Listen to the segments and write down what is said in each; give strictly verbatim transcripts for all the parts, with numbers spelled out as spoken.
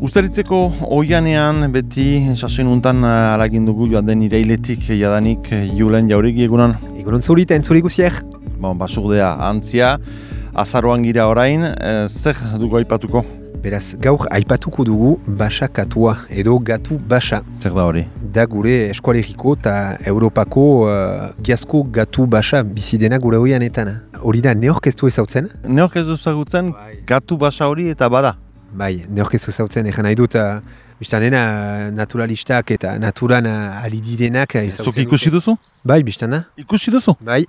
Uztaritzeko oianean beti sasoin untan alagin dugu joan den irailetik jadanik Julen Jauregi egunon. Egunon zuri eta entzuri guziak. Bon, basurdea antzia, azaroan gira orain, e, zer dugu aipatuko? Beraz, gaur aipatuko dugu basa katua edo gatu basa. Zer da hori? Da gure eskualeriko eta Europako uh, giazko gatu basa bizidena gure oianetan. Hori da neorkestu ezautzen? Neorkestu ezagutzen, gatu basa hori eta bada. Bai, neorkestu ezautzen, egin nahi dut, uh, biztanena naturalistak eta naturan uh, ali direnak ezautzen. Zuk ikusi duzu? Bai, biztana. Ikusi duzu? Bai,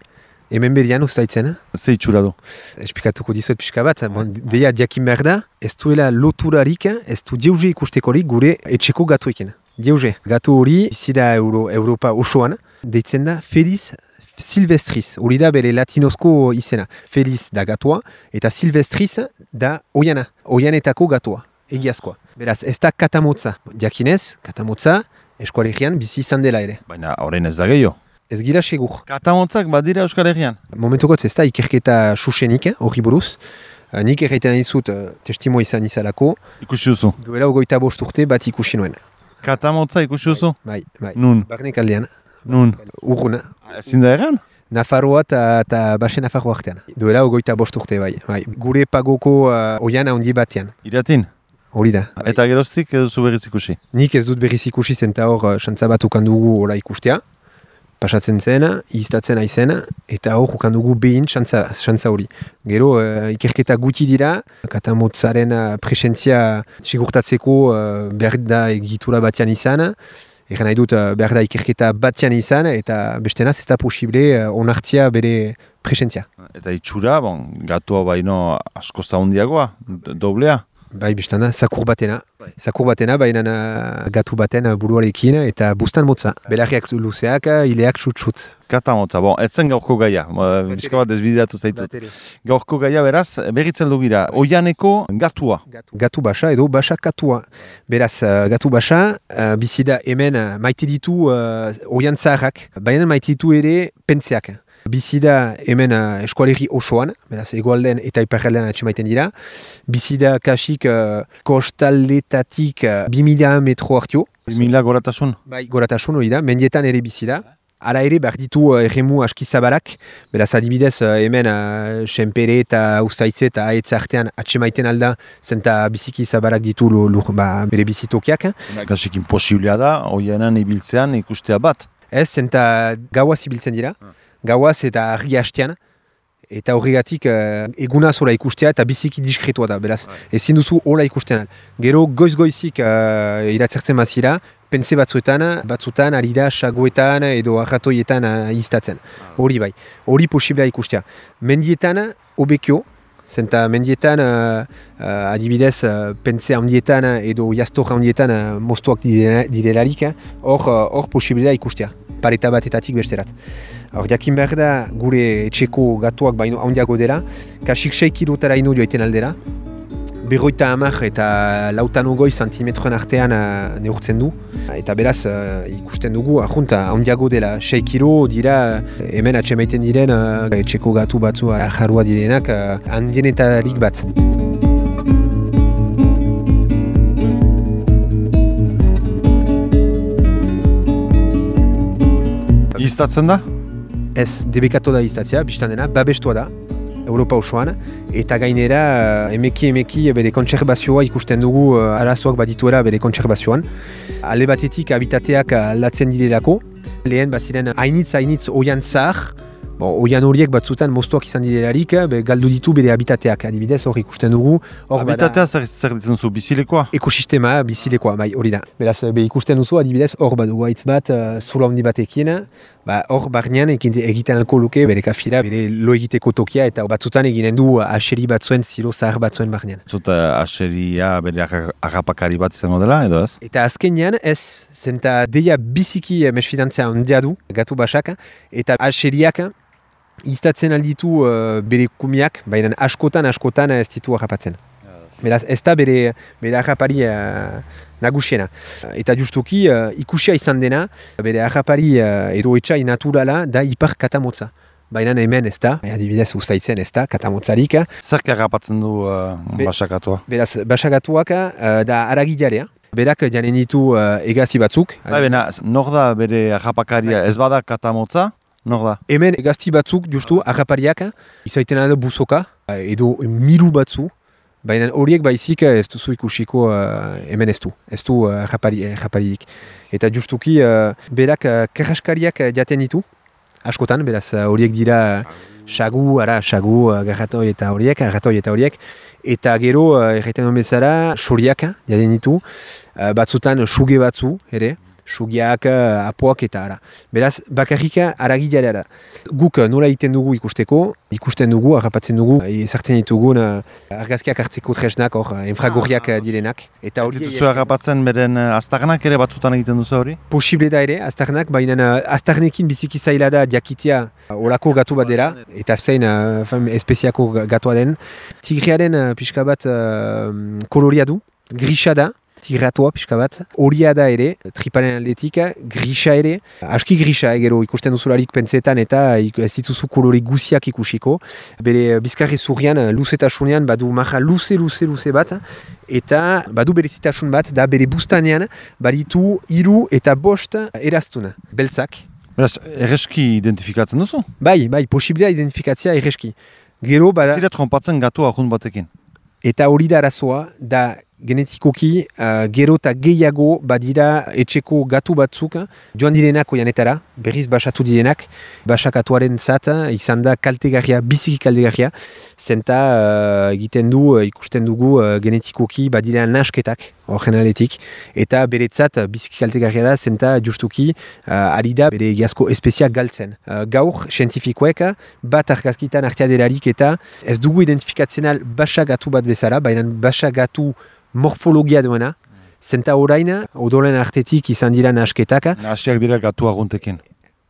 hemen berian ustaitzen. Ze itxura du? Esplikatuko dizuet pixka bat, bon, deia diakin behar da, ez duela loturarik, ez du dieuze ikustekorik gure etxeko gatuekin. Dieuze, gatu hori, izi da Euro, Europa osoan, deitzen da Felis Silvestris, hori da bere latinozko izena. Felis da gatua, eta Silvestris da oiana, oianetako gatua, egiazkoa. Beraz, ez da katamotza. Diakinez, katamotza, eskualegian bizi izan dela ere. Baina horrein ez da gehiago. Ez gira segur. Katamotzak badira Euskal Herrian? Momentukotz ez da ikerketa susenik, hori buruz. Nik erraiten dizut testimo izan izalako. Ikusi duzu? Duela ogoita bost urte bat ikusi nuen. Katamotza ikusi duzu? Bai, bai. Nun? Barnek aldean. Nun? Urruna. Ezin da egan? Nafarroa eta Basen Nafarroa artean. Duela ogoita bost urte bai. bai. Gure pagoko uh, oian handi batean. Iratin? Hori da. Eta geroztik edo zu berriz ikusi? Nik ez dut berriz ikusi zenta hor xantza bat ukandugu hola ikustea. Pasatzen zen, iztatzen aizen, eta hor ukandugu behin xantza hori. Gero, uh, ikerketa guti dira, katamotzaren uh, presentzia sigurtatzeko uh, behar da egitura batean izan, egan nahi dut uh, behar da ikerketa batean izan, eta bestenaz ez da posible uh, onartzia bere presentzia. Eta itxura, bon, gatua baino asko zaundiagoa, doblea? Bai, biztana, zakur batena. Zakur batena, baina gatu baten buruarekin eta bustan motza. Belarriak luzeak, ileak txut-txut. Kata motza, bon, ez zen gaurko gaia. Bizka bat desbideatu zaitut. Gaurko gaia, beraz, berritzen dugira. Oianeko gatua. Gatu basa edo basa katua. Beraz, gatu basa, bizida hemen maite ditu uh, oian zaharrak, baina maite ditu ere pentseak. Bizida hemen uh, eskualerri osoan, beraz egoalden eta iparraldean atxemaiten dira. Bizida kasik uh, kostaldetatik uh, bi mila metro hartio. bi mila goratasun? Bai, goratasun hori da, mendietan ere bizida. Hala ere behar ditu uh, erremu aski zabalak, beraz adibidez uh, hemen uh, senpere eta ustaitze eta ahetz artean atxemaiten alda, zenta biziki zabalak ditu lur, ba, bere bizitokiak. Kasik imposiblea da, oianan ibiltzean ikustea bat. Ez, zenta gauaz ibiltzen dira. Gauaz eta argi hastean, eta horregatik uh, egunaz hola ikustea eta biziki diskretua da, beraz, ezin duzu hola ikusten. Gero goiz-goizik uh, iratzertzen mazira, pense batzuetan, batzuetan, arida, sagoetan edo arratoietan uh, iztatzen. Hori bai, hori posiblea ikustea. Mendietan, obekio, zenta mendietan, uh, uh, adibidez, uh, pense handietan edo jastor handietan uh, moztuak direlarik, hor uh, hor posiblea ikustea, pareta batetatik besterat. Hor, jakin behar da, gure etxeko gatuak baino handiago dela, kasik sei kilotara ino joaiten aldera, berroita hamar eta lautan ogoi santimetroen artean uh, neurtzen du, eta beraz uh, ikusten dugu, ahunta handiago dela, sei kilo dira uh, hemen atxemaiten diren uh, etxeko gatu batzu jarrua direnak uh, handienetarik bat. Iztatzen da? Ez, debekatu da iztatzea, biztan dena, babestua da, Europa osoan, eta gainera emeki emeki bere kontserbazioa ikusten dugu uh, arazoak badituela bere kontserbazioan. Ale batetik habitateak aldatzen direlako, lehen baziren hainitz hainitz oian zahar, bon, oian horiek batzutan moztuak izan direlarik, be, galdu ditu bere habitateak, adibidez hor ikusten dugu. Habitatea zer, zer ditzen zu, bizilekoa? Ekosistema, bizilekoa, bai, hori da. Beraz, be, ikusten duzu, adibidez, hor badugu haitz bat, uh, zulo handi batekin, ba, hor barnean egiten alko luke bere kafira, bere lo egiteko tokia, eta batzutan eginen du aseri batzuen, zilo zahar batzuen barnean. Zuta aseria bere agapakari bat izango dela, edo ez? Eta azkenean ez, zenta deia biziki mesfidantzea handia du, gatu basak, eta aseriak iztatzen alditu uh, bere kumiak, baina askotan, askotan ez ditu harrapatzen. Beraz, ez da bere, bere harrapari uh, nagusiena. Eta justuki, uh, ikusia izan dena, bere harrapari uh, edo etxai naturala da ipar katamotza. baina hemen ez da, adibidez Uztaitzen ez da, katamotzarik. Zerk harrapatzen du uh, Be- basakatua? Beraz, basakatuak uh, da aragijalea. Berak janen ditu uh, egazti batzuk. Bai, bena, nor da bere harrapakaria, ez bada katamotza, nor da? Hemen egazti batzuk justu harrapariak, izaiten da buzoka, uh, edo miru batzu, baina horiek baizik ez duzu ikusiko uh, hemen ez du, ez du uh, harraparidik. Eta justuki uh, berak uh, karraskariak jaten ditu, askotan, beraz horiek uh, dira sagu, ara, sagu, uh, garratoi eta horiek, garratoi eta horiek, eta gero, uh, erraiten duen bezala, soriak jaten ditu, uh, batzutan suge batzu, ere, sugiak, uh, apoak eta ara. Beraz, bakarrika aragilea da. Guk nola egiten dugu ikusteko, ikusten dugu, harrapatzen dugu, ezartzen ditugun uh, argazkiak hartzeko tresnak, hor, infragorriak uh, direnak. Eta hori duzu harrapatzen beren uh, aztarnak ere batzutan egiten duzu hori? Posible da ere, aztarnak, baina uh, aztarnekin biziki zaila da diakitia uh, olako gatu bat dela, eta zein uh, fam, espeziako gatua den. Tigriaren uh, pixka bat uh, koloria du, grisa da, tigratua pixka bat, horia da ere, triparen aldetik, grisa ere, aski grisa, gero ikusten duzularik pentsetan eta ez dituzu kolore guziak ikusiko, bere bizkarri zurrian, luzetasunean, badu maja luze, luze, luze bat, eta badu berezitasun bat, da bere bustanean, baditu hiru eta bost eraztuna, beltzak. Beraz, erreski identifikatzen duzu? Bai, bai, posiblea identifikatzea erreski. Gero, bada... Zira trompatzen gatu ahun batekin? Eta hori da arazoa, da genetikoki uh, gero eta gehiago badira etxeko gatu batzuk joan direnak oianetara, berriz basatu direnak, basakatuaren zat izan da kaltegarria, biziki kaltegarria, zenta uh, egiten du, ikusten dugu uh, genetikoki badira nasketak horren aletik, eta beretzat biziki kaltegarria da, zenta justuki uh, ari da bere egiazko espeziak galtzen. Uh, gaur, zientifikoek bat argazkitan arteaderarik eta ez dugu identifikatzen al basagatu bat bezala, baina basagatu morfologia duena, zenta orain, odolen artetik izan dira nahasketak. Nahasiak dira gatu aguntekin.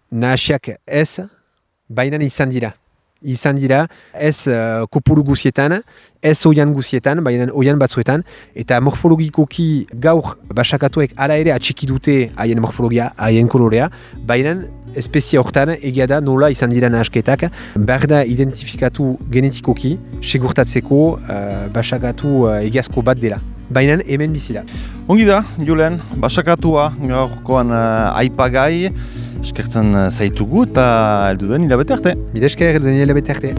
Nahasiak ez, baina izan dira. Izan dira ez uh, kopuru guzietan, ez oian guzietan, baina oian batzuetan, eta morfologikoki gaur basakatuek ara ere atxiki dute haien morfologia, haien kolorea, baina espezia hortan egia da nola izan dira nahasketak, behar da identifikatu genetikoki, segurtatzeko uh, basakatu uh, egiazko bat dela. Baina hemen bizi da. Ongi da, Julen, basakatua gaurkoan uh, aipagai, eskertzen zaitugu eta heldu den hilabete arte. Mila esker, heldu den hilabete arte.